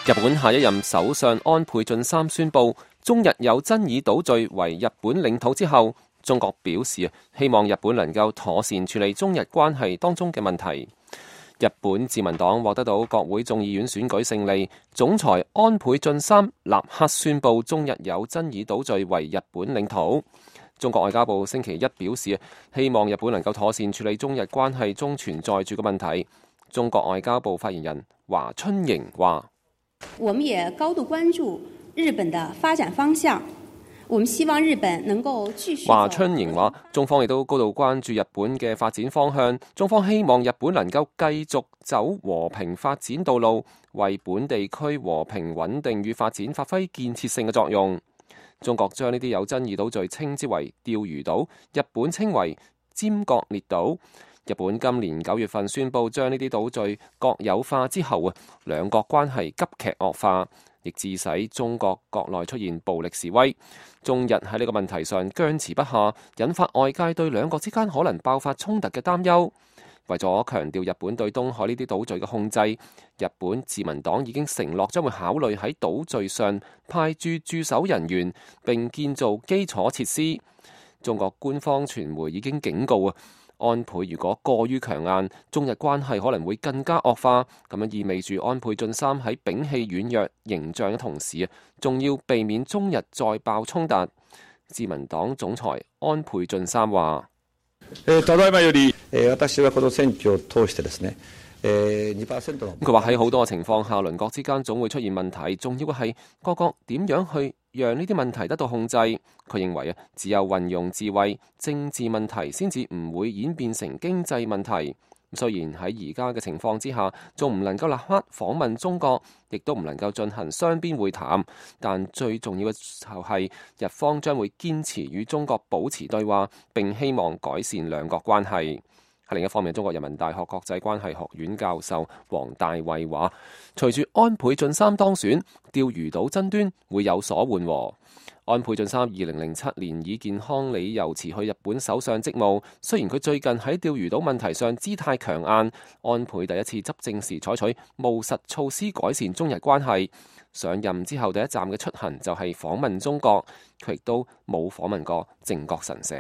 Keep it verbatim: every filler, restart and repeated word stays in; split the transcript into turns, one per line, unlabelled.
日本下一任首相安倍晉三宣布中日有爭議島嶼為日本領土之後，中國表示希望日本能夠妥善處理中日關係當中嘅問題。日本自民黨獲得到國會眾議院選舉勝利，總裁安倍晉三立刻宣布中日有爭議島嶼為日本領土。中國外交部星期一表示，希望日本能夠妥善處理中日關係中存在住嘅問題。中國外交部發言人華春瑩話：
我們也高度關注日本的發展方向，我們希望日本能夠繼續。
華春瑩話，中方亦都高度關注日本嘅發展方向，中方希望日本能夠繼續走和平發展道路，為本地區和平穩定與發展發揮建設性嘅作用。中國將呢啲有爭議島嶼稱之為釣魚島，日本稱為尖閣列島。日本今年九月份宣布將呢啲島嶼國有化之後啊，兩國關係急劇惡化，亦致使中國國內出現暴力示威。中日喺呢個問題上僵持不下，引發外界對兩國之間可能爆發衝突嘅擔憂。為咗強調日本對東海呢啲島嶼嘅控制，日本自民黨已經承諾將會考慮喺島嶼上派駐駐守人員，並建造基礎設施。中國官方傳媒已經警告啊，安倍如果過於強硬，中日關係可能會更加惡化。咁樣意味住安倍晉三喺摒棄軟弱形象嘅同時啊，仲要避免中日再爆衝突。自民黨總裁安倍晉三話：
ただいまより私はこの選挙を通してですねにパーセントの
佢話喺好多情況下，鄰國之間總會出現問題，重要嘅係各國點樣去讓呢啲問題得到控制。佢認為啊，只有運用智慧，政治問題先至唔會演變成經濟問題。雖然喺而家嘅情況之下，仲唔能夠立刻訪問中國，亦都唔能夠進行雙邊會談，但最重要嘅就係日方將會堅持與中國保持對話，並希望改善兩國關係。喺另一方面，中國人民大學國際關係學院教授黃大衛話，隨住安倍晉三當選，釣魚島爭端會有所緩和。安倍晉三二零零七年以健康理由辭去日本首相職務，雖然佢最近喺釣魚島問題上姿態強硬，安倍第一次執政時採取務實措施改善中日關係。上任之後第一站嘅出行就係訪問中國，佢亦都冇訪問過靖國神社。